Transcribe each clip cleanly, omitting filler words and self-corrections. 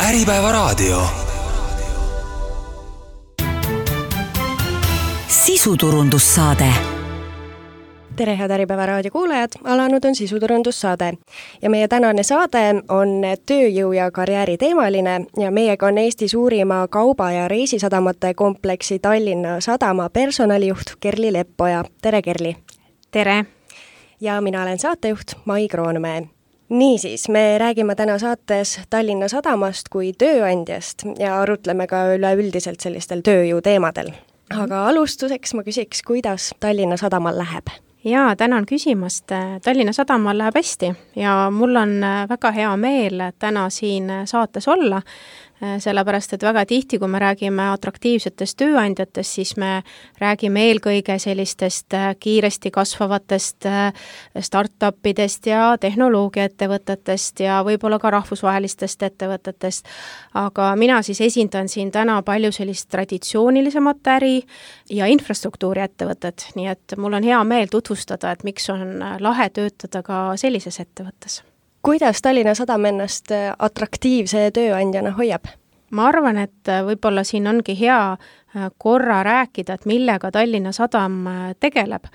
Äripäevaraadio. Sisuturundussaade. Tere, head Äripäevaraadio kuulajad! Alanud on sisuturundussaade ja meie tänane saade on tööjõu ja karjääri teemaline ja meiega on Eesti suurima kauba- ja reisisadamate kompleksi Tallinna Sadama personalijuht Kerli Leppoja. Tere, Kerli! Tere! Ja mina olen saatejuht Mai Kroonmäe. Niisiis, me räägime täna saates Tallinna Sadamast kui tööandjast ja arutleme ka üleüldiselt sellistel tööjõu teemadel. Aga alustuseks ma küsiks, kuidas Tallinna Sadamal läheb? Jaa, tänan küsimast. Tallinna Sadamal läheb hästi ja mul on väga hea meel täna siin saates olla, sellepärast, et väga tihti, kui me räägime atraktiivsetest tööandjatest, siis me räägime eelkõige sellistest kiiresti kasvavatest startupidest ja tehnoloogiaettevõtetest ja võib-olla ka rahvusvahelistest ettevõtetest. Aga mina siis esindan siin täna palju sellist traditsioonilisemat äri ja infrastruktuuri ettevõtet, nii et mul on hea meel tutvustada, et miks on lahe töötada ka sellises ettevõttes. Kuidas Tallinna Sadam ennast atraktiivse tööandjana hoiab? Ma arvan, et võib-olla siin ongi hea korra rääkida, et millega Tallinna Sadam tegeleb,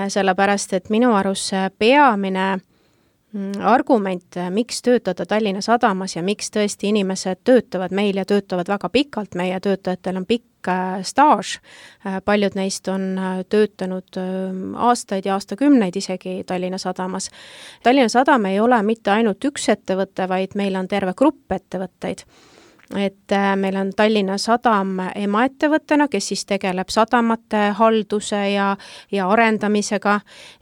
sellepärast, et minu arust peamine argument, miks töötada Tallinna Sadamas ja miks tõesti inimesed töötavad meil ja töötavad väga pikalt, meie töötajatel on pikk staaž, paljud neist on töötanud aastaid ja aastakümneid isegi Tallinna Sadamas. Tallinna Sadam ei ole mitte ainult üks ettevõte, vaid meil on terve grupp ettevõtteid. Et meil on Tallinna Sadam emaettevõttena, kes siis tegeleb sadamate halduse ja arendamisega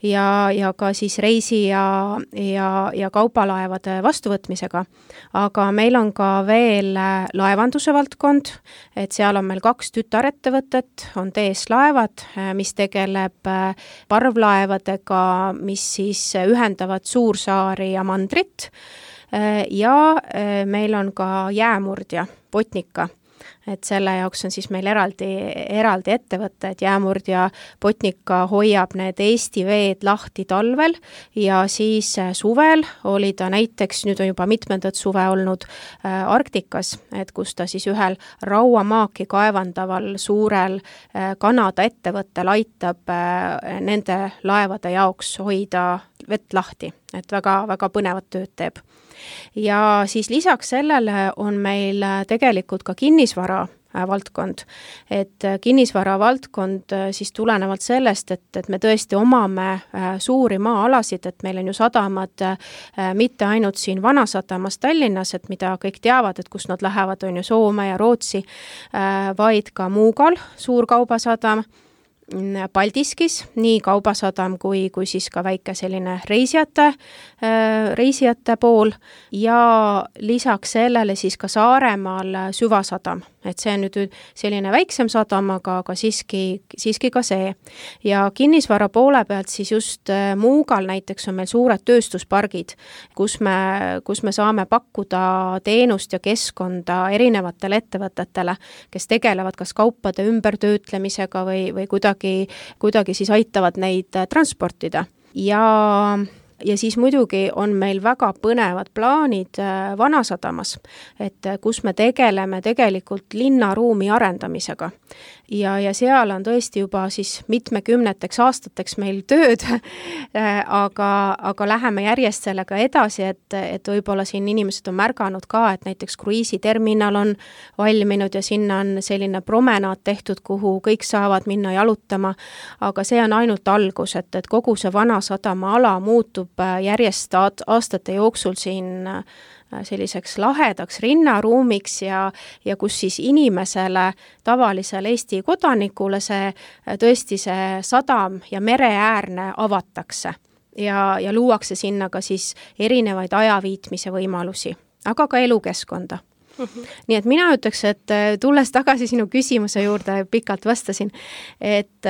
ja ka siis reisi ja kaubalaevade vastuvõtmisega. Aga meil on ka veel laevanduse valdkond, et seal on meil 2 tütarettevõtet, on TS Laevad, mis tegeleb parvlaevadega, mis siis ühendavad Suursaari ja Mandrit. Ja meil on ka jäämurdja, Botnica, et selle jaoks on siis meil eraldi ettevõte, et jäämurdja Botnica hoiab need Eesti veed lahti talvel ja siis suvel oli ta näiteks, nüüd on juba mitmendat suve olnud Arktikas, et kus ta siis ühel rauamaaki kaevandaval suurel Kanada ettevõttel aitab nende laevade jaoks hoida vett lahti, et väga põnevat tööd teeb. Ja siis lisaks sellele on meil tegelikult ka kinnisvara valdkond, et kinnisvara valdkond siis tulenevalt sellest, et me tõesti omame suuri maa-alasid, et meil on ju sadamad mitte ainult siin Vanasadamas Tallinnas, et mida kõik teavad, et kus nad lähevad, on ju Soome ja Rootsi, vaid ka Muugal, suur kaubasadam, Paldiskis, nii kaubasadam kui siis ka väike selline reisijate pool ja lisaks sellele siis ka Saaremaal Süvasadam, et see on nüüd selline väiksem sadam, aga siiski ka see. Ja kinnisvara poole pealt siis just Muugal näiteks on meil suured tööstuspargid, kus me saame pakkuda teenust ja keskkonda erinevatele ettevõtetele, kes tegelevad kas kaupade ümbertöötlemisega või kuidagi siis aitavad neid transportida. Ja siis muidugi on meil väga põnevad plaanid Vanasadamas, et kus me tegeleme tegelikult linnaruumi arendamisega. Ja seal on tõesti juba siis mitmekümneteks aastateks meil tööd, aga läheme järjest sellega edasi, et võib-olla siin inimesed on märganud ka, et näiteks kruiisiterminal on valminud ja sinna on selline promenaad tehtud, kuhu kõik saavad minna jalutama, aga see on ainult algus, et kogu see Vanasadama ala muutub järjest aastate jooksul siin selliseks lahedaks rinnaruumiks ja kus siis inimesele, tavalisele Eesti kodanikule tõesti see sadam ja mereäärne avatakse ja luuakse sinna ka siis erinevaid ajaviitmise võimalusi, aga ka elukeskkonda. Nii et mina ütleks, et tulles tagasi sinu küsimuse juurde, pikalt vastasin, et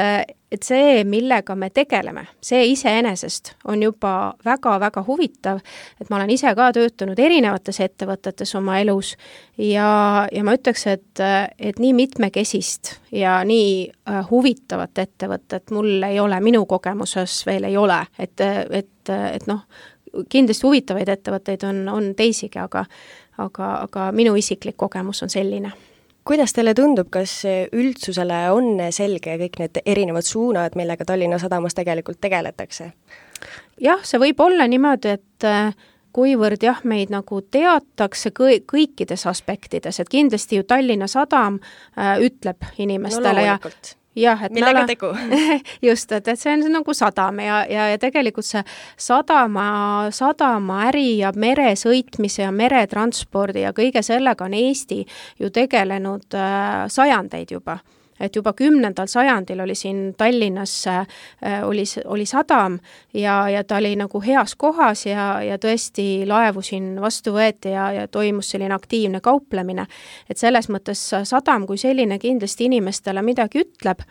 see, millega me tegeleme, see iseenesest on juba väga-väga huvitav, et ma olen ise ka töötanud erinevates ettevõtetes oma elus ja ma ütleks, et nii mitmekesist ja nii huvitavat ettevõtet mul ei ole, minu kogemuses veel ei ole, et noh, kindlasti huvitavaid ettevõtteid on teisigi, aga minu isiklik kogemus on selline. Kuidas teile tundub, kas üldsusele on selge kõik need erinevad suunad, millega Tallinna Sadamas tegelikult tegeletakse? Jah, see võib olla niimoodi, et kuivõrd meid nagu teatakse kõikides aspektides, et kindlasti ju Tallinna Sadam ütleb inimestele et millega tegu? Just, et see on nagu sadam ja tegelikult see sadama äri ja meresõitmise ja meretranspordi ja kõige sellega on Eesti ju tegelenud sajandeid juba. Et juba 10. sajandil oli siin Tallinnas oli sadam ja ta oli nagu heas kohas ja tõesti laevu siin vastu võeti ja toimus selline aktiivne kauplemine. Et selles mõttes sadam kui selline kindlasti inimestele midagi ütleb,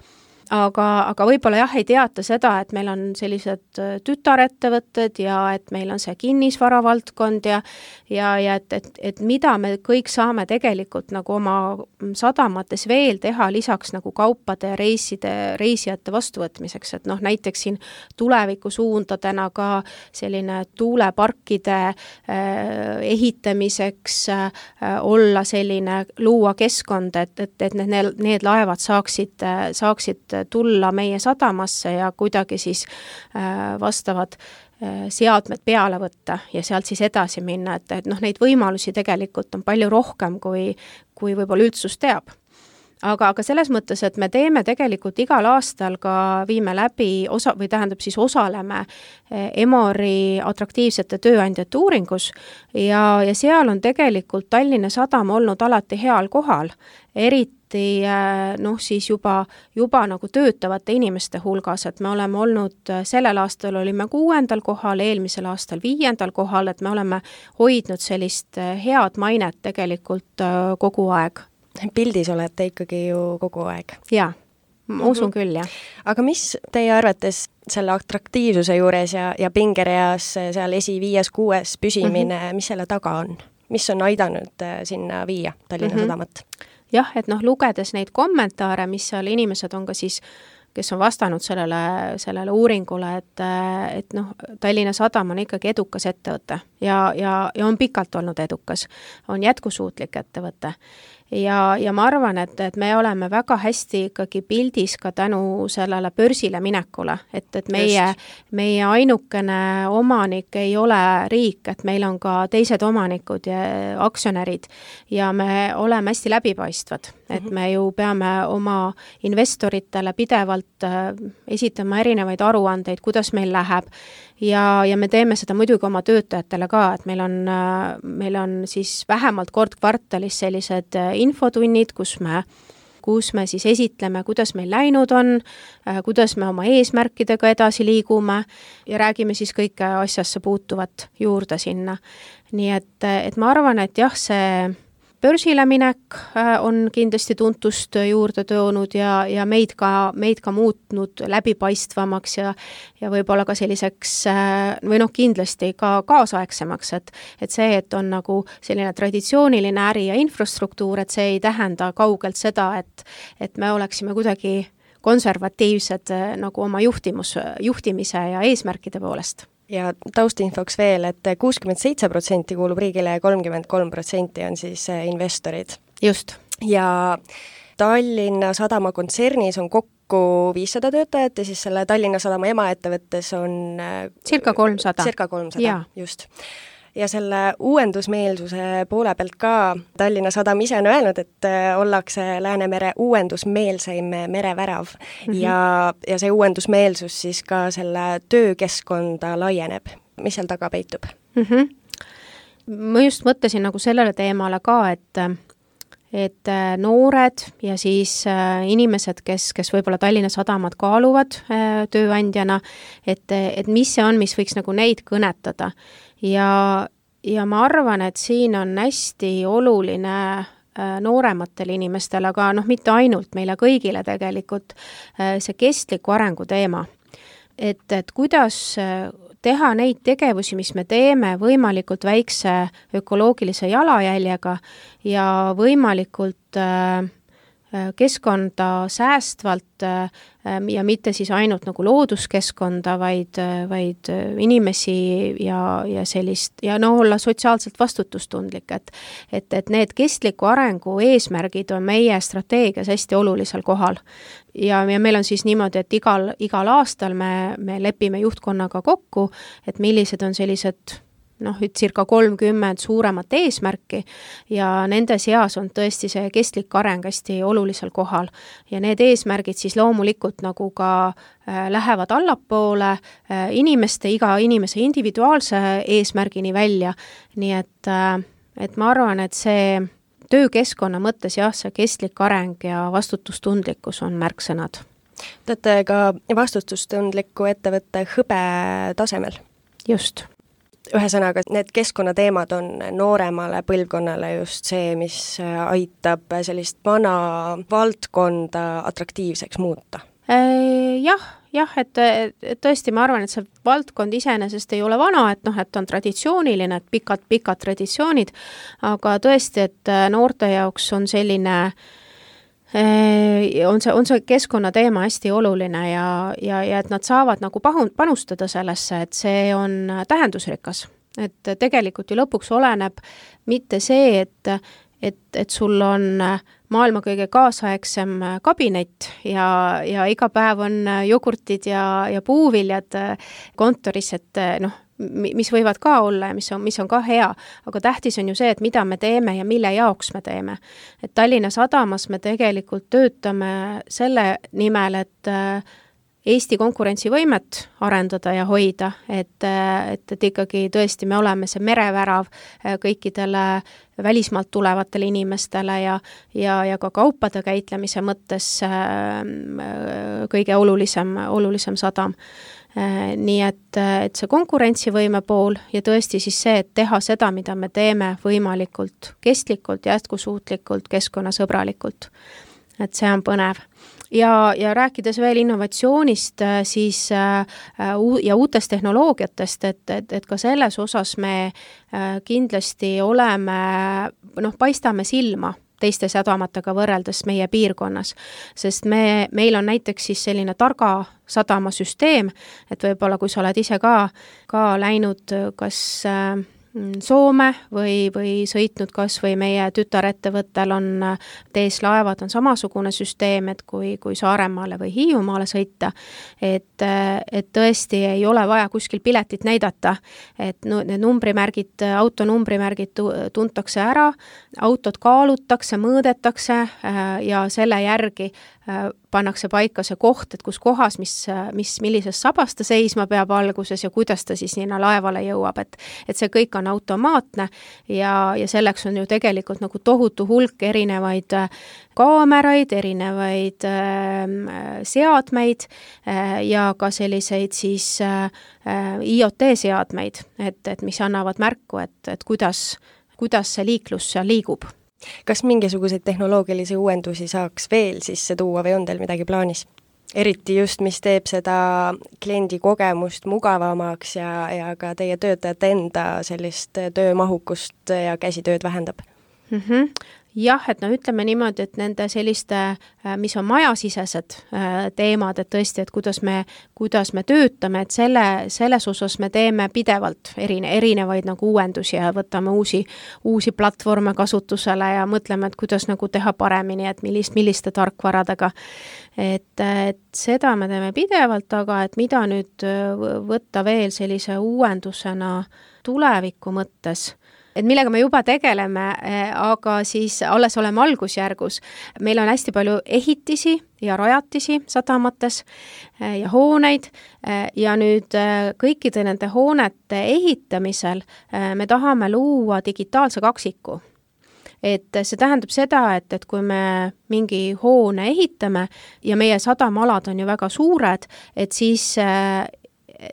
aga võib-olla ei teata seda, et meil on sellised tütarettevõtted ja et meil on see kinnisvaravaldkond ja et mida me kõik saame tegelikult nagu oma sadamates veel teha lisaks nagu kaupade ja reisijate vastuvõtmiseks, et näiteks siin tulevikusuundadena ka selline tuuleparkide ehitamiseks olla selline, luua keskkond, et need laevad saaksid tulla meie sadamasse ja kuidagi siis vastavad seadmed peale võtta ja sealt siis edasi minna, et neid võimalusi tegelikult on palju rohkem, kui võib-olla üldsus teab. Aga selles mõttes, et me teeme tegelikult igal aastal ka viime läbi osaleme Emori atraktiivsete tööandjate uuringus ja seal on tegelikult Tallinna Sadam olnud alati heal kohal, eriti siis juba nagu töötavate inimeste hulgas, et me oleme olnud, sellel aastal olime 6. kohal, eelmisel aastal 5. kohal, et me oleme hoidnud sellist head mainet tegelikult kogu aeg. Pildis olete ikkagi ju kogu aeg. Jaa, ma usun küll, jah. Aga mis teie arvates selle atraktiivsuse juures ja pingereas seal 5.–6. püsimine, mis selle taga on? Mis on aidanud sinna viia Tallinna Sadamat? Jah, et lugedes neid kommentaare, mis seal inimesed on ka siis, kes on vastanud sellele uuringule, et Tallinna Sadam on ikkagi edukas ettevõte ja on pikalt olnud edukas, on jätkusuutlik ettevõte. Ja ma arvan, et me oleme väga hästi ikkagi pildis ka tänu sellele börsile minekule, et meie ainukene omanik ei ole riik, et meil on ka teised omanikud ja aktsionärid ja me oleme hästi läbipaistvad, et me ju peame oma investoritele pidevalt esitama erinevaid aruandeid, kuidas meil läheb ja me teeme seda muidugi oma töötajatele ka, et meil on siis vähemalt kord kvartalis sellised infotunnid, kus me siis esitleme, kuidas meil läinud on, kuidas me oma eesmärkidega edasi liigume ja räägime siis kõike asjasse puutuvat juurde sinna. Nii et ma arvan, et jah, see börsile minek on kindlasti tuntust juurde toonud ja meid ka muutnud läbipaistvamaks ja võib-olla ka selliseks või kindlasti ka kaasaegsemaks, et see, et on nagu selline traditsiooniline äri ja infrastruktuur, et see ei tähenda kaugelt seda, et me oleksime kuidagi konservatiivsed nagu oma juhtimise ja eesmärkide poolest. Ja taustinfoks veel, et 67% kuulub riigile ja 33% on siis investorid. Just. Ja Tallinna Sadama kontsernis on kokku 500 töötajat ja siis selle Tallinna Sadama emaettevõttes on circa 300. Circa 300, just. Ja selle uuendusmeelsuse poole pealt ka Tallinna Sadam ise on öelnud, et ollakse Läänemere uuendusmeelseim merevärav ja see uuendusmeelsus siis ka selle töökeskkonda laieneb. Mis seal taga peitub? Ma just mõtlesin nagu sellele teemale ka, et noored ja siis inimesed, kes võib-olla Tallinna Sadamat kaaluvad tööandjana, et mis see on, mis võiks nagu neid kõnetada. Ja ma arvan, et siin on hästi oluline noorematele inimestele, aga mitte ainult meile kõigile tegelikult see kestliku arengu teema. Et kuidas teha neid tegevusi, mis me teeme võimalikult väikse ökoloogilise jalajäljega ja võimalikult keskkonda säästvalt ja mitte siis ainult nagu looduskeskkonda, vaid inimesi ja sellist ja olla sotsiaalselt vastutustundlik, et need kestliku arengu eesmärgid on meie strateegias hästi olulisel kohal. Ja meil on siis niimoodi, et igal aastal me lepime juhtkonnaga kokku, et millised on sellised circa 30 suuremat eesmärki ja nende seas on tõesti see kestlik areng hästi olulisel kohal. Ja need eesmärgid siis loomulikult nagu ka lähevad allapoole iga inimese individuaalse eesmärgini välja. Nii et ma arvan, et see töökeskkonna mõttes see kestlik areng ja vastutustundlikkus on märksõnad. Te olete ka vastutustundliku ettevõtte hõbe tasemel. Just. Ühesõnaga, need keskkonnateemad on nooremale põlvkonnale just see, mis aitab sellist vana valdkonda atraktiivseks muuta. Jah, et tõesti ma arvan, et see valdkond iseenesest ei ole vana, et on traditsiooniline, et pikad traditsioonid, aga tõesti, et noorte jaoks on selline on see keskkonnateema hästi oluline ja et nad saavad nagu panustada sellesse, et see on tähendusrikas. Et tegelikult ju lõpuks oleneb mitte see, et sul on maailma kõige kaasaegsem kabinet ja iga päev on jogurtid ja puuviljad kontoris, et mis võivad ka olla ja mis on ka hea, aga tähtis on ju see, et mida me teeme ja mille jaoks me teeme. Et Tallinna Sadamas me tegelikult töötame selle nimel, et Eesti konkurentsivõimet arendada ja hoida, et ikkagi tõesti me oleme see merevärav kõikidele välismaalt tulevatele inimestele ja ka kaupade käitlemise mõttes kõige olulisem sadam. Nii et see konkurentsivõime pool ja tõesti siis see, et teha seda, mida me teeme võimalikult kestlikult, jätkusuutlikult, keskkonnasõbralikult. Et see on põnev. Ja rääkides veel innovatsioonist siis, ja uutest tehnoloogiatest, et ka selles osas me kindlasti paistame silma teiste sadamatega võrreldes meie piirkonnas, sest meil on näiteks siis selline targa sadamasüsteem, et võib-olla kui sa oled ise ka läinud kas Soome või sõitnud kas või meie tütarettevõttel on TS Laevad on samasugune süsteem, et kui Saaremaale või Hiiumaale sõita, et tõesti ei ole vaja kuskil piletit näidata, et need numbrimärgid, autonumbrimärgid tuntakse ära, autod kaalutakse, mõõdetakse ja selle järgi pannakse paika see koht, et kus kohas, millises sabas ta seisma peab alguses ja kuidas ta siis sinna laevale jõuab, et see kõik on automaatne ja selleks on ju tegelikult nagu tohutu hulk erinevaid kaameraid, erinevaid seadmeid ja ka selliseid siis IoT-seadmeid, et mis annavad märku, et kuidas see liiklus seal liigub. Kas mingisuguseid tehnoloogilisi uuendusi saaks veel sisse tuua või on teil midagi plaanis? Eriti just, mis teeb seda kliendi kogemust mugavamaks ja ka teie töötajate enda sellist töömahukust ja käsitööd vähendab? Jah, et ütleme niimoodi, et nende selliste, mis on majasisesed teemad, et tõesti, et kuidas me töötame, et selles osas me teeme pidevalt erinevaid nagu uuendusi ja võtame uusi platvorme kasutusele ja mõtleme, et kuidas nagu teha paremini, et milliste tarkvaradega. Et seda me teeme pidevalt, aga et mida nüüd võtta veel sellise uuendusena tuleviku mõttes, et millega me juba tegeleme, aga siis alles oleme algusjärgus. Meil on hästi palju ehitisi ja rajatisi sadamates ja hooneid ja nüüd kõikide nende hoonete ehitamisel me tahame luua digitaalse kaksiku. Et see tähendab seda, et kui me mingi hoone ehitame ja meie sadamalad on ju väga suured, et siis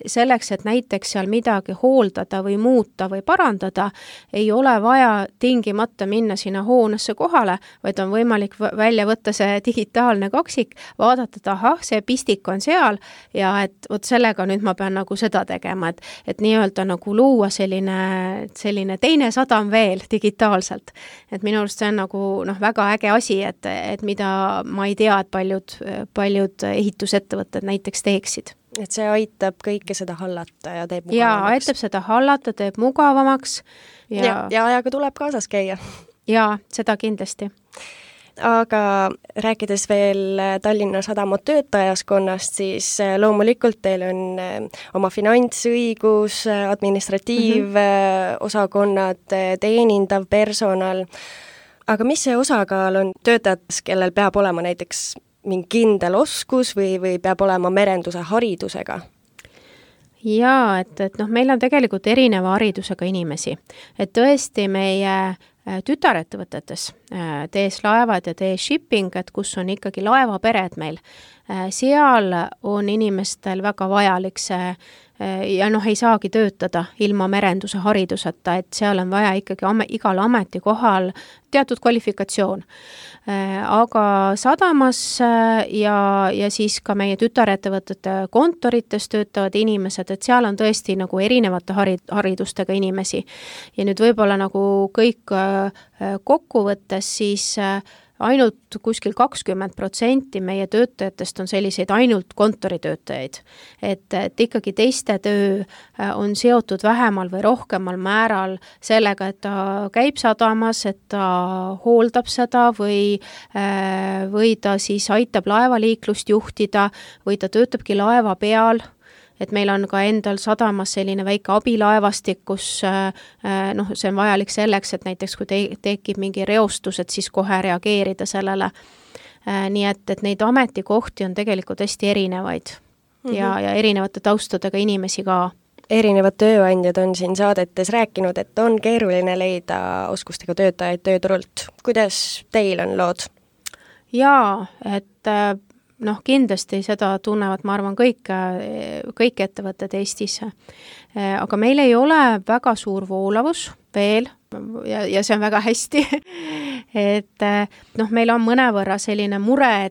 selleks, et näiteks seal midagi hooldada või muuta või parandada, ei ole vaja tingimata minna sinna hoonesse kohale, vaid on võimalik välja võtta see digitaalne kaksik, vaadata, et ahah, see pistik on seal ja et vot sellega nüüd ma pean nagu seda tegema, et nii-öelda nagu luua selline teine sadam veel digitaalselt. Et minu arust see on nagu väga äge asi, et mida ma ei tea, et paljud ehitusettevõtted näiteks teeksid. Et see aitab kõike seda hallata ja teeb mugavamaks. Jaa, aitab seda hallata, teeb mugavamaks. Ja ajaga tuleb kaasas käia. Jaa, seda kindlasti. Aga rääkides veel Tallinna Sadama töötajaskonnast, siis loomulikult teil on oma finantsõigus, administratiivosakonnad, teenindav personal. Aga mis see osakaal on töötajad, kellel peab olema näiteks mingi kindel oskus või peab olema merenduse haridusega? Jaa, et meil on tegelikult erineva haridusega inimesi. Et tõesti meie tütarettevõtetes, TS Laevad ja TS Shipping, et kus on ikkagi laevapered meil, seal on inimestel väga vajalik see ja ei saagi töötada ilma merenduse hariduseta, et seal on vaja ikkagi igal ametikohal teatud kvalifikatsioon. Aga sadamas ja siis ka meie tütarettevõtete kontorites töötavad inimesed, et seal on tõesti nagu erinevate haridustega inimesi. Ja nüüd võib-olla nagu kõik kokkuvõttes siis ainult kuskil 20% meie töötajatest on selliseid ainult kontoritöötajaid. Et ikkagi teiste töö on seotud vähemal või rohkemal määral sellega, et ta käib sadamas, et ta hooldab seda või ta siis aitab laevaliiklust juhtida või ta töötabki laeva peal. Et meil on ka endal sadamas selline väike abilaevastik, kus see on vajalik selleks, et näiteks kui tekib mingi reostus, et siis kohe reageerida sellele. Nii et neid ametikohti on tegelikult hästi erinevaid ja erinevate taustadega inimesi ka. Erinevad tööandjad on siin saadetes rääkinud, et on keeruline leida oskustega töötajaid tööturult. Kuidas teil on lood? Jaa, et kindlasti seda tunnevad, ma arvan, kõik ettevõtted Eestis. Aga meil ei ole väga suur voolavus veel ja see on väga hästi. Et meil on mõnevõrra selline mure,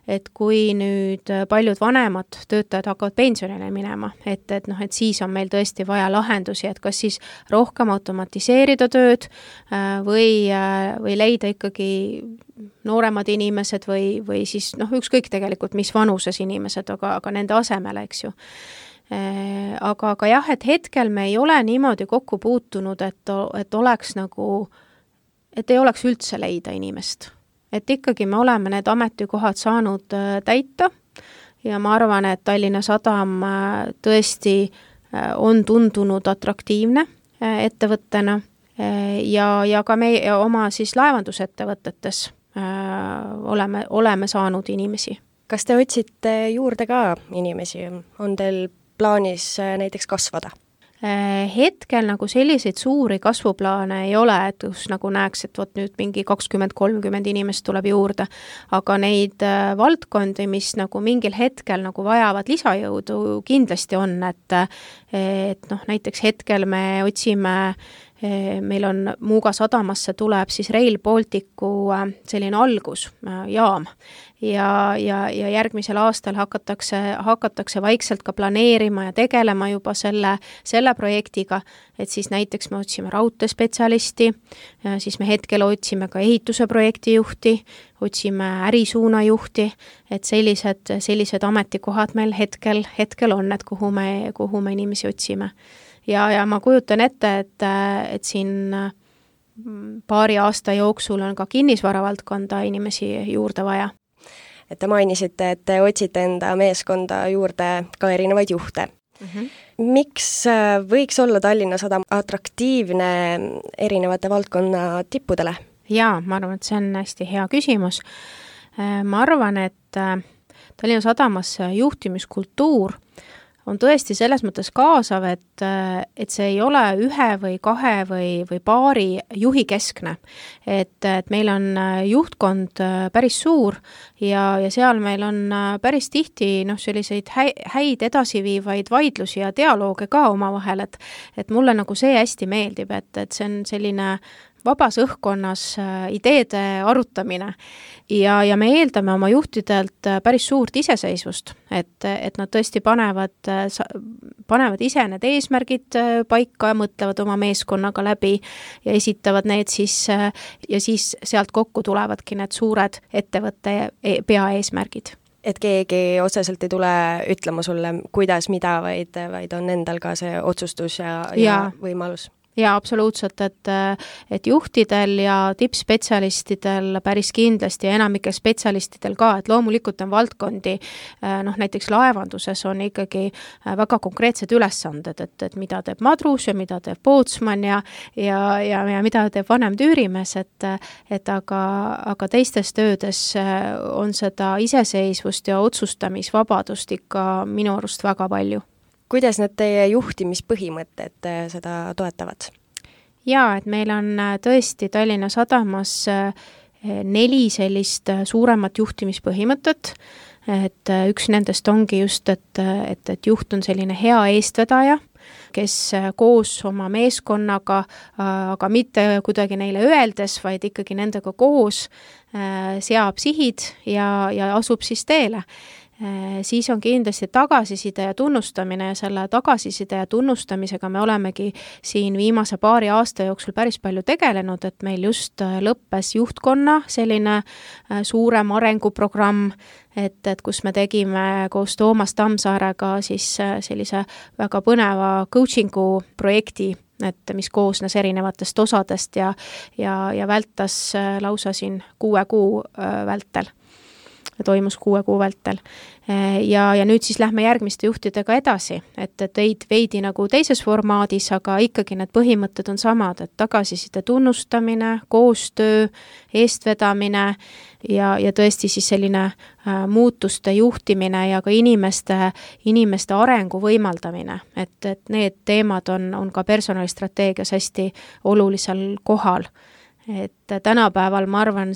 et kui nüüd paljud vanemad töötajad hakkavad pensionile minema, et siis on meil tõesti vaja lahendusi, et kas siis rohkem automatiseerida tööd või leida ikkagi nooremad inimesed või siis ükskõik tegelikult, mis vanuses inimesed, aga nende asemele, eks ju. Aga jah, et hetkel me ei ole niimoodi kokku puutunud, et oleks nagu, et ei oleks üldse leida inimest. Et ikkagi me oleme need ametikohad saanud täita ja ma arvan, et Tallinna Sadam tõesti on tundunud atraktiivne ettevõttena ja ka meie oma siis laevandusettevõtetes oleme saanud inimesi. Kas te otsite juurde ka inimesi? On teil plaanis näiteks kasvada? Hetkel nagu selliseid suuri kasvuplaane ei ole, et kus nagu näeks, et vot nüüd mingi 20-30 inimest tuleb juurde, aga neid valdkondi, mis nagu mingil hetkel nagu vajavad lisajõudu, kindlasti on, et näiteks hetkel me otsime, meil on Muuga sadamasse tuleb siis Rail Balticu selline algusjaam ja järgmisel aastal hakatakse vaikselt ka planeerima ja tegelema juba selle projektiga, et siis näiteks me otsime raudteespetsialisti, siis me hetkel otsime ka ehituse projektijuhti, otsime ärisuunajuhti, et sellised ametikohad meil hetkel on, et kuhu me inimesi otsime. Ja ma kujutan ette, et siin paari aasta jooksul on ka kinnisvaravaldkonda inimesi juurde vaja. Et te mainisite, et te otsite enda meeskonda juurde ka erinevaid juhte. Miks võiks olla Tallinna Sadam atraktiivne erinevate valdkonna tippudele? Jaa, ma arvan, et see on hästi hea küsimus. Ma arvan, et Tallinna Sadamas juhtimiskultuur on tõesti selles mõttes kaasav, et see ei ole ühe või kahe või paari juhi keskne. Et meil on juhtkond päris suur ja seal meil on päris tihti selliseid häid edasiviivaid vaidlusi ja dialooge ka omavahel, et mulle nagu see hästi meeldib, et see on selline vabas õhkkonnas ideede arutamine ja me eeldame oma juhtidelt päris suurt iseseisvust, et nad tõesti panevad ise need eesmärgid paika, mõtlevad oma meeskonnaga läbi ja esitavad need siis ja siis sealt kokku tulevadki need suured ettevõtte peaeesmärgid. Et keegi otseselt ei tule ütlema sulle, kuidas, mida, vaid on endal ka see otsustus ja võimalus. Jaa, absoluutselt, et juhtidel ja tippspetsialistidel päris kindlasti ja enamikel spetsialistidel ka, et loomulikult on valdkondi, näiteks laevanduses on ikkagi väga konkreetsed ülesanded, et mida teeb madrus ja mida teeb pootsman ja mida teeb vanem tüürimees, aga teistes töödes on seda iseseisvust ja otsustamisvabadust ikka minu arust väga palju. Kuidas need teie juhtimispõhimõtted seda toetavad? Jaa, et meil on tõesti Tallinna Sadamas 4 sellist suuremat juhtimispõhimõtet, et üks nendest ongi just, et juht on selline hea eestvedaja, kes koos oma meeskonnaga, aga mitte kuidagi neile öeldes, vaid ikkagi nendega koos seab sihid ja asub siis teele. Siis on kindlasti tagasiside ja tunnustamine ja selle tagasiside ja tunnustamisega me olemegi siin viimase paari aasta jooksul päris palju tegelenud, et meil just lõppes juhtkonna selline suurem arenguprogramm, et kus me tegime koos Toomas Tammsaarega siis sellise väga põneva coachingu projekti, et mis koosnes erinevatest osadest ja vältas lausa siin 6 kuu vältel. Toimus 6 kuu vältel. Ja nüüd siis lähme järgmiste juhtidega edasi, et veidi nagu teises formaadis, aga ikkagi need põhimõtted on samad, et tagasiside tunnustamine, koostöö, eestvedamine ja tõesti siis selline muutuste juhtimine ja ka inimeste arengu võimaldamine, et need teemad on ka personalistrateegias hästi olulisel kohal. Et tänapäeval ma arvan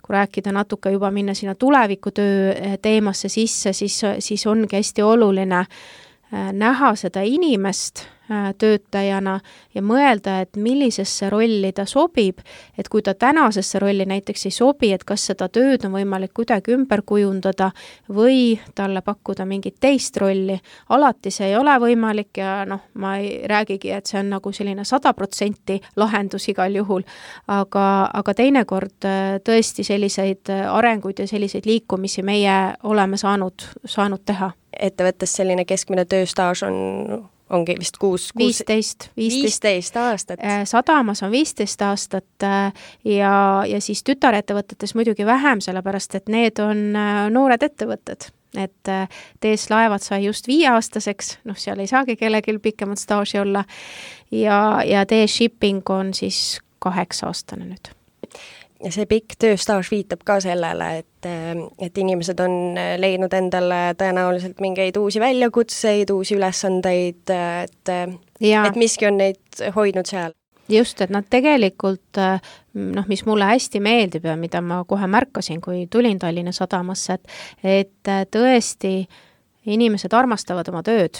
kui rääkida natuke juba minna sinna tulevikutöö teemasse sisse, siis ongi hästi oluline näha seda inimest töötajana ja mõelda, et millisesse rolli ta sobib, et kui ta tänasesse rolli näiteks ei sobi, et kas seda tööd on võimalik kuidagi ümber kujundada või talle pakkuda mingit teist rolli. Alati see ei ole võimalik ja ma ei räägigi, et see on nagu selline 100% lahendus igal juhul, aga teinekord tõesti selliseid arenguid ja selliseid liikumisi meie oleme saanud teha. Ettevõttes selline keskmine tööstaaž ongi vist 15 aastat. Sadamas on 15 aastat ja siis tütarettevõtetes muidugi vähem, sellepärast et need on noored ettevõtted. Et TS Laevad sai just 5-aastaseks, seal ei saagi kellelgi pikemat staaži olla ja TS Shipping on siis 8-aastane nüüd. Ja see pikk tööstaaž viitab ka sellele, et inimesed on leidnud endale tõenäoliselt mingeid uusi väljakutseid, uusi ülesandeid, et miski on neid hoidnud seal. Just, et nad tegelikult, mis mulle hästi meeldib ja mida ma kohe märkasin, kui tulin Tallinna Sadamasse, et tõesti inimesed armastavad oma tööd.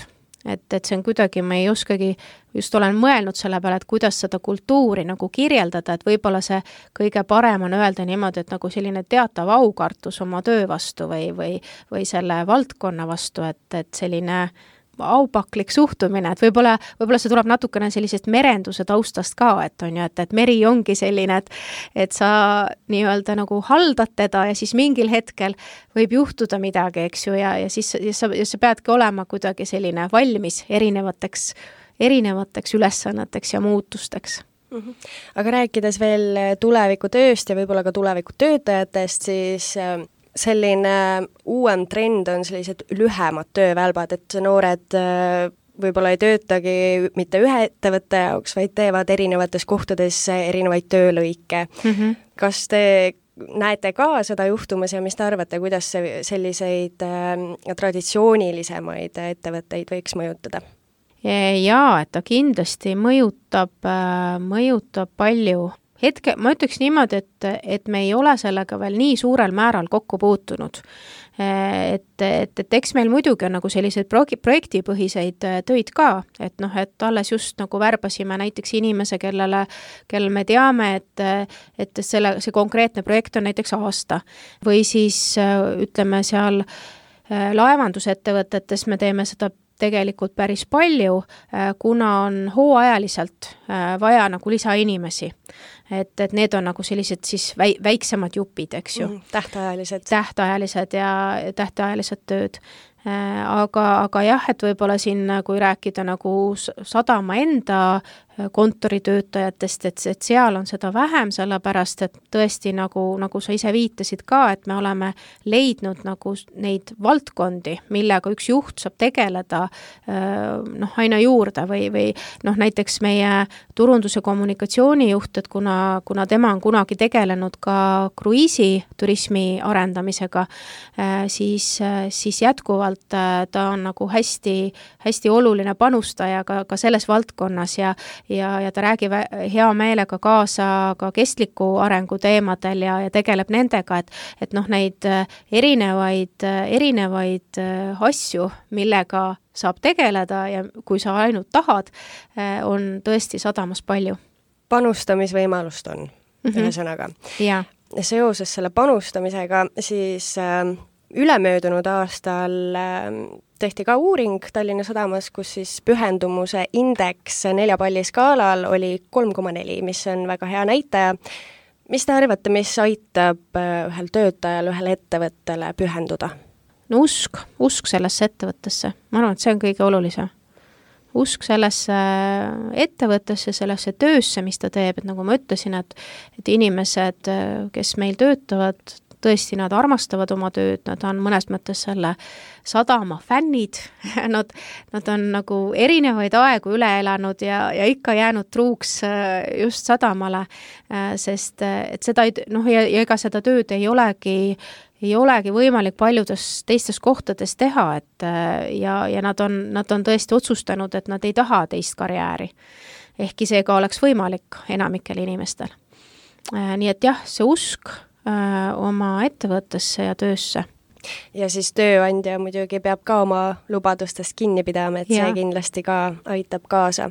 Et see on kuidagi, ma ei oskagi, just olen mõelnud selle peale, et kuidas seda kultuuri nagu kirjeldada, et võib-olla see kõige parem on öelda niimoodi, et nagu selline teatav aukartus oma töö vastu või selle valdkonna vastu, et selline aupaklik suhtumine, et võib-olla see tuleb natukene sellisest merenduse taustast ka, et on ju, et meri ongi selline, et sa nii-öelda nagu haldad teda ja siis mingil hetkel võib juhtuda midagi, eks ju, ja siis sa peadki olema kuidagi selline valmis erinevateks ülesanneteks ja muutusteks. Aga rääkides veel tulevikutööst ja võib-olla ka tulevikutöötajatest, siis selline uuem trend on sellised lühemad töövälbad, et noored võib-olla ei töötagi mitte ühe ettevõtte jaoks, vaid teevad erinevates kohtades erinevaid töölõike. Kas te näete ka seda juhtumas ja mis te arvate, kuidas see selliseid traditsioonilisemaid ettevõtteid võiks mõjutada? Jaa, et ta kindlasti mõjutab palju. Ma ütleks niimoodi, et me ei ole sellega veel nii suurel määral kokku puutunud. Et eks meil muidugi on nagu selliseid projektipõhiseid töid ka, et alles just nagu värbasime näiteks inimese, kellel me teame, et see konkreetne projekt on näiteks aasta. Või siis ütleme seal laevandusettevõtetes me teeme seda tegelikult päris palju, kuna on hooajaliselt vaja nagu lisainimesi. Et need on nagu sellised siis väiksemad jupid, eks ju. Tähtajalised ja tähtajalised tööd. Aga jah, et võib-olla siin, kui rääkida nagu sadama enda kontoritöötajatest, et seal on seda vähem, sellepärast, et tõesti nagu sa ise viitasid ka, et me oleme leidnud nagu neid valdkondi, millega üks juht saab tegeleda aina juurde või näiteks meie turundus- ja kommunikatsioonijuht, et kuna tema on kunagi tegelenud ka kruiisiturismi arendamisega, siis jätkuvalt ta on nagu hästi oluline panustaja ka selles valdkonnas ja ta räägib hea meelega kaasa ka kestliku arengu teemadel ja tegeleb nendega, et neid erinevaid asju, millega saab tegeleda ja kui sa ainult tahad, on tõesti sadamas palju. Panustamisvõimalust on, ühesõnaga. Ja seoses selle panustamisega siis ülemöödunud aastal tehti ka uuring Tallinna Sadamas, kus siis pühendumuse indeks 4 palli skaalal oli 3,4, mis on väga hea näitaja. Mis te arvate, mis aitab ühel töötajal, ühel ettevõttele pühenduda? No usk sellesse ettevõttesse. Ma arvan, et see on kõige olulisem. Usk sellesse ettevõttesse, sellesse töösse, mis ta teeb, et nagu ma ütlesin, et inimesed, kes meil töötavad, tõesti nad armastavad oma tööd, nad on mõnes mõttes selle sadama fännid, nad on nagu erinevaid aegu üle elanud ja ikka jäänud truuks just sadamale, sest et seda ja ega seda tööd ei olegi võimalik paljudes teistes kohtades teha, ja nad on tõesti otsustanud, et nad ei taha teist karjääri. Ehkki see ka oleks võimalik enamikel inimestel. Nii et jah, see usk oma ettevõttesse ja töösse. Ja siis tööandja muidugi peab ka oma lubadustest kinni pidama, et see kindlasti ka aitab kaasa.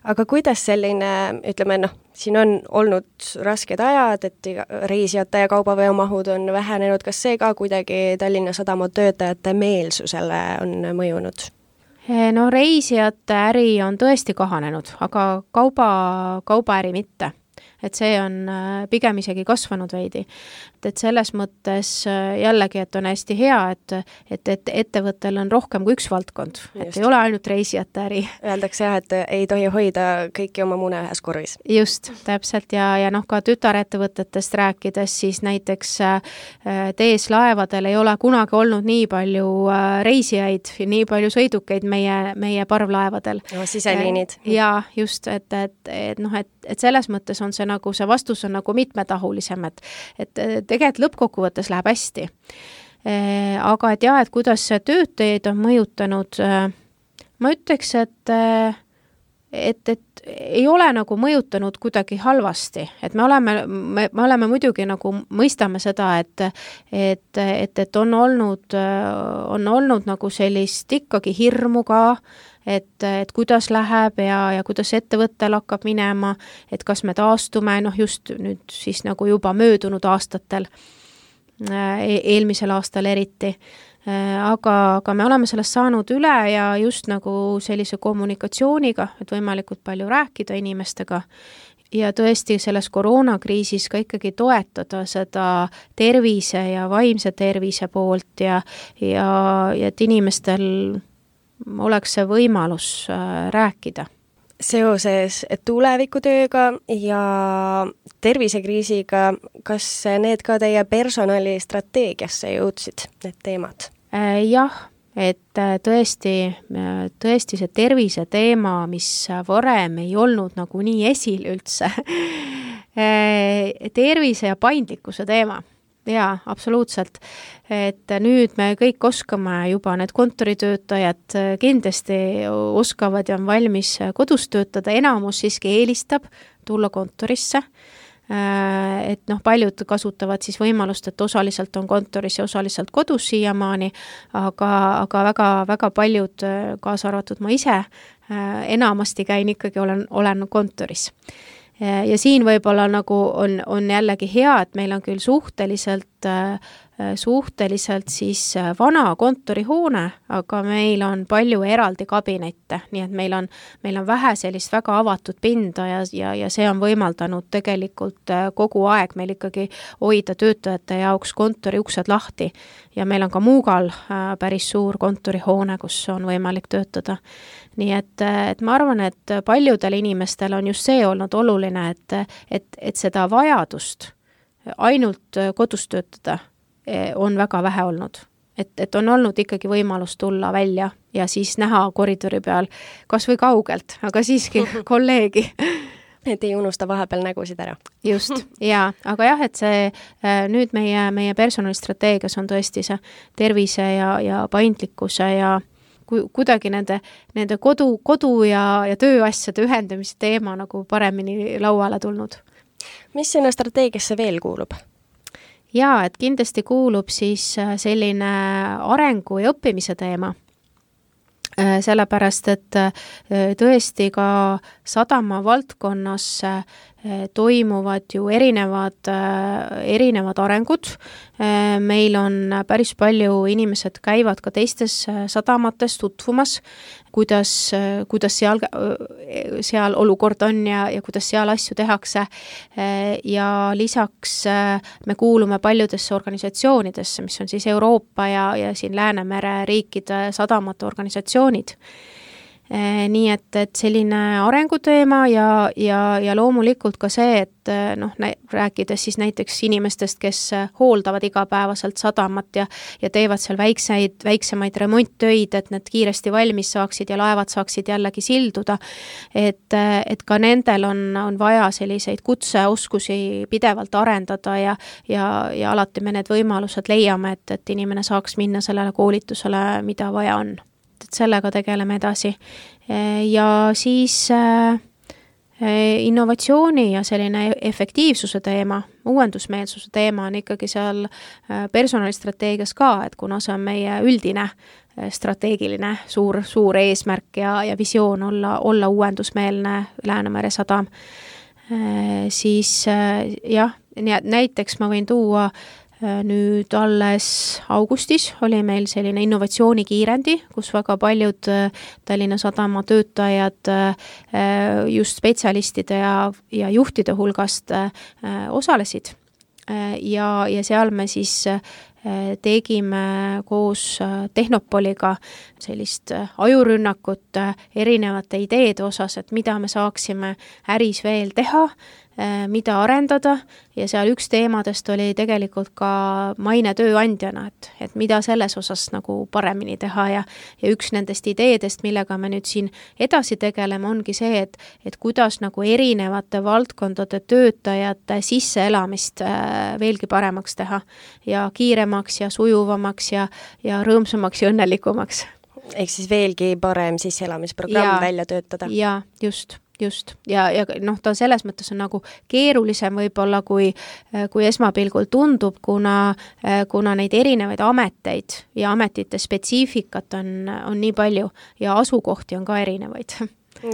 Aga kuidas selline, ütleme, siin on olnud rasked ajad, et reisijate ja kaubaveomahud on vähenenud, kas see ka kuidagi Tallinna Sadama töötajate meelsusele on mõjunud? No reisijate äri on tõesti kahanenud, aga kaubaäri mitte. Et see on pigem isegi kasvanud veidi. Et selles mõttes jällegi, et on hästi hea, et ettevõttel on rohkem kui üks valdkond. Et ei ole ainult reisijate äri. Öeldakse jah, et ei tohi hoida kõiki oma mune ühes korvis. Just, täpselt. Ja ka tütarettevõtetest rääkides, siis näiteks TS Laevadel ei ole kunagi olnud nii palju reisijaid, nii palju sõidukeid meie parvlaevadel. Siseliinid. Ja just, et selles mõttes on see nagu see vastus on nagu mitmetahulisem, et tegelikult lõppkokkuvõttes läheb hästi. Aga et jah, et kuidas töötajaid on mõjutanud, ma ütleks, et ei ole nagu mõjutanud kuidagi halvasti, et me oleme muidugi nagu mõistame seda, et on olnud nagu sellist ikkagi hirmu ka, et kuidas läheb ja kuidas ettevõttel hakkab minema, et kas me taastume, just nüüd siis nagu juba möödunud aastatel, eelmisel aastal eriti. Aga me oleme sellest saanud üle ja just nagu sellise kommunikatsiooniga, et võimalikult palju rääkida inimestega ja tõesti selles koroonakriisis ka ikkagi toetada seda tervise ja vaimse tervise poolt ja et inimestel oleks see võimalus rääkida. Seoses tulevikutööga ja tervisekriisiga, kas need ka teie personalistrateegiasse jõudsid, need teemad? Jah, et tõesti see tervise teema, mis varem ei olnud nagu nii esil üldse, tervise ja paindlikkuse teema. Jaa, absoluutselt. Et nüüd me kõik oskame juba, need kontoritöötajad kindlasti oskavad ja on valmis kodus töötada, enamus siiski eelistab tulla kontorisse. Et paljud kasutavad siis võimalust, et osaliselt on kontoris ja osaliselt kodus siiamaani, aga väga paljud, kaasa arvatud ma ise, enamasti käin ikkagi, olen kontoris. Ja siin võib-olla nagu on jällegi hea, et meil on küll suhteliselt siis vana kontorihoone, aga meil on palju eraldi kabinette, nii et meil on vähe sellist väga avatud pinda ja see on võimaldanud tegelikult kogu aeg meil ikkagi hoida töötajate jaoks kontori uksed lahti ja meil on ka Muugal päris suur kontorihoone, kus on võimalik töötada. Nii et ma arvan, et paljudel inimestel on just see olnud oluline, et seda vajadust ainult kodus töötada on väga vähe olnud. Et on olnud ikkagi võimalus tulla välja ja siis näha koridori peal kas või kaugelt, aga siiski kolleegi. Et ei unusta vahepeal nägusid ära. Just, jaa. Aga jah, et see nüüd meie personalistrateegias on tõesti see tervise ja paindlikkuse ja kuidagi nende kodu ja tööasjade ühendamise teema nagu paremini lauale tulnud. Mis sinna strateegiasse veel kuulub? Jaa, et kindlasti kuulub siis selline arengu ja õppimise teema. Sellepärast, et tõesti ka sadama valdkonnas toimuvad ju erinevad arengud. Meil on päris palju inimesed käivad ka teistes sadamates tutvumas, kuidas seal olukord on ja kuidas seal asju tehakse. Ja lisaks me kuulume paljudesse organisatsioonidesse, mis on siis Euroopa ja siin Läänemere riikide sadamate organisatsioonid. Nii et selline arenguteema ja loomulikult ka see, et rääkides siis näiteks inimestest, kes hooldavad igapäevaselt sadamat ja teevad seal väiksemaid remonttöid, et need kiiresti valmis saaksid ja laevad saaksid jällegi silduda, et ka nendel on vaja selliseid kutseoskusi pidevalt arendada ja alati me need võimalused leiame, et inimene saaks minna sellele koolitusele, mida vaja on. Et sellega tegeleme edasi. Ja siis innovatsiooni ja selline efektiivsuse teema, uuendusmeelsuse teema on ikkagi seal personalistrateegias ka, et kuna see on meie üldine strateegiline suur eesmärk ja visioon olla uuendusmeelne Läänemere sadam, siis jah, näiteks ma võin tuua nüüd alles augustis oli meil selline innovatsioonikiirendi, kus väga paljud Tallinna Sadama töötajad just spetsialistide ja juhtide hulgast osalesid. Ja seal me siis tegime koos Tehnopoliga sellist ajurünnakut erinevate ideede osas, et mida me saaksime äris veel teha, mida arendada ja seal üks teemadest oli tegelikult ka maine tööandjana, et mida selles osas nagu paremini teha ja üks nendest ideedest, millega me nüüd siin edasi tegeleme, ongi see, et kuidas nagu erinevate valdkondade töötajate sisseelamist veelgi paremaks teha ja kiiremaks ja sujuvamaks ja rõõmsamaks ja õnnelikumaks. Ehk siis veelgi parem sisseelamisprogramm välja töötada. Ja just. Ja ta selles mõttes on nagu keerulisem võib-olla, kui esmapilgul tundub, kuna neid erinevaid ameteid ja ametite spetsiifikat on nii palju ja asukohti on ka erinevaid.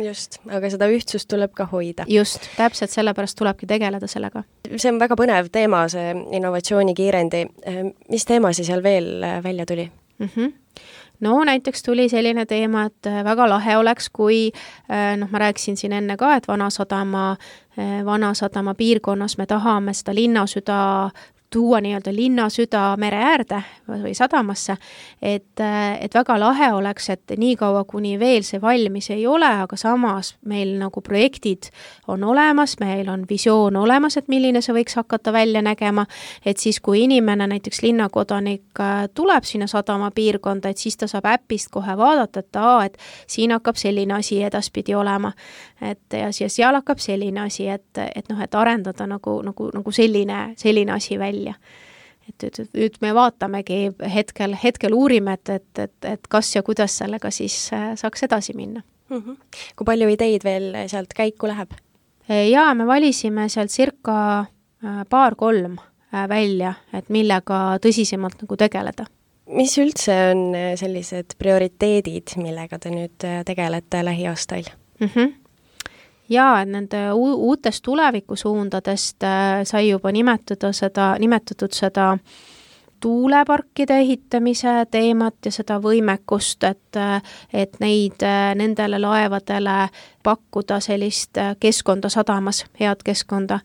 Just, aga seda ühtsust tuleb ka hoida. Just, täpselt sellepärast tulebki tegeleda sellega. See on väga põnev teema, see innovatsioonikiirendi. Mis teemasi seal veel välja tuli? No näiteks tuli selline teema, et väga lahe oleks, kui ma rääkisin siin enne ka, et Vanasadama piirkonnas me tahame seda linnasüda tuua nii-öelda linna süda mere äärde või sadamasse, et väga lahe oleks, et nii kaua, kuni veel see valmis ei ole, aga samas meil nagu projektid on olemas, meil on visioon olemas, et milline see võiks hakata välja nägema, et siis kui inimene, näiteks linnakodanik tuleb sinna sadama piirkonda, et siis ta saab äpist kohe vaadata, et siin hakkab selline asi edaspidi olema, ja seal hakkab selline asi, et arendada nagu selline asi välja. Et nüüd me vaatamegi hetkel uurime, et kas ja kuidas sellega siis saaks edasi minna. Kui palju ideid veel sealt käiku läheb? Jaa, me valisime sealt circa 2-3 välja, et millega tõsisemalt nagu tegeleda. Mis üldse on sellised prioriteedid, millega te nüüd tegelete lähiaastail? Jaa, et nende uutest tulevikusuundadest sai juba nimetatud seda tuuleparkide ehitamise teemat ja seda võimekust, et nendele laevadele pakkuda sellist keskkonda sadamas, head keskkonda.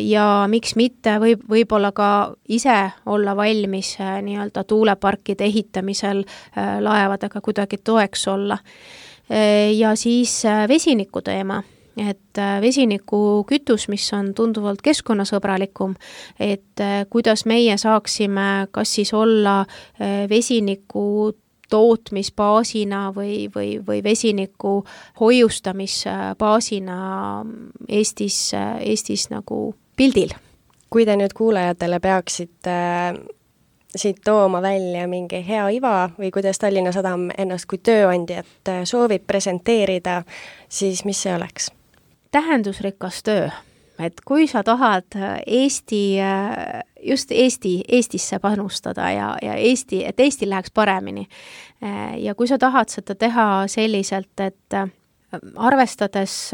Ja miks mitte võib-olla ka ise olla valmis nii-öelda tuuleparkide ehitamisel laevadega kuidagi toeks olla. Ja siis vesiniku teema, et vesiniku kütus, mis on tunduvalt keskkonnasõbralikum, et kuidas meie saaksime kas siis olla vesiniku tootmisbaasina või vesiniku hoiustamisbaasina Eestis nagu pildil. Kui te nüüd kuulajatele peaksite siit tooma välja mingi hea iva või kuidas Tallinna Sadam ennast kui tööandjat soovib presenteerida, siis mis see oleks? Tähendusrikas töö. Et kui sa tahad Eestisse panustada ja et Eestil läheks paremini ja kui sa tahad seda teha selliselt, et arvestades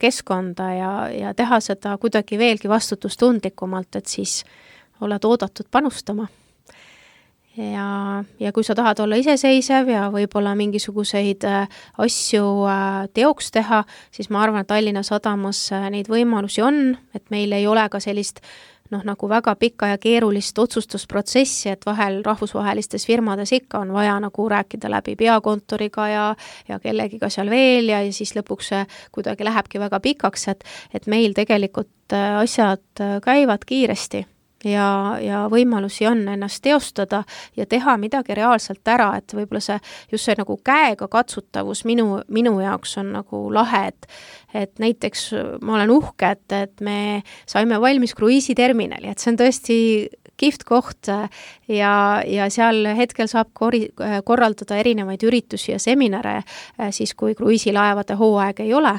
keskkonda ja teha seda kuidagi veelgi vastutustundlikumalt, et siis oled oodatud panustama. Ja kui sa tahad olla iseseisev ja võib-olla mingisuguseid asju teoks teha, siis ma arvan, et Tallinna Sadamas neid võimalusi on, et meil ei ole ka sellist nagu väga pikka ja keerulist otsustusprotsessi, et vahel rahvusvahelistes firmades ikka on vaja nagu rääkida läbi peakontoriga ja kellegiga seal veel ja siis lõpuks kuidagi lähebki väga pikaks, et meil tegelikult asjad käivad kiiresti. Ja võimalusi on ennast teostada ja teha midagi reaalselt ära, et võib-olla see nagu käega katsutavus minu jaoks on nagu lahe, et näiteks ma olen uhke, et me saime valmis kruiisiterminali, et see on tõesti kihvt koht ja seal hetkel saab korraldada erinevaid üritusi ja seminare, siis kui kruiisilaevade hooaeg ei ole,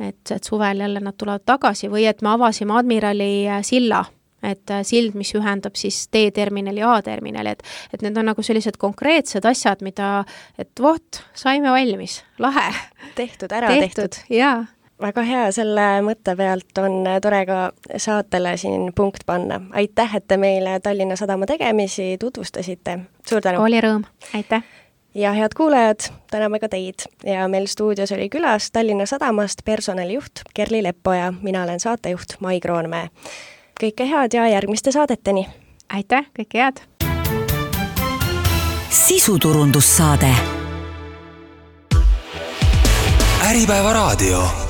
et suvel jälle nad tulevad tagasi või et me avasime Admirali silla, et sild, mis ühendab siis D-terminali ja A-terminali, et need on nagu sellised konkreetsed asjad, mida, et saime valmis, lahe. Tehtud. Jaa. Väga hea, selle mõtte pealt on tore ka saatele siin punkt panna. Aitäh, et te meile Tallinna Sadama tegemisi tutvustasite. Suur tänu. Oli rõõm, aitäh. Ja head kuulajad, täname ka teid. Ja meil stuudios oli külas Tallinna Sadamast personalijuht Kerli Leppoja. Mina olen saatejuht Mai Kroonmäe. Kõike head ja järgmiste saadeteni. Aitäh, kõike head. Sisuturundussaade. Äripäeva raadio.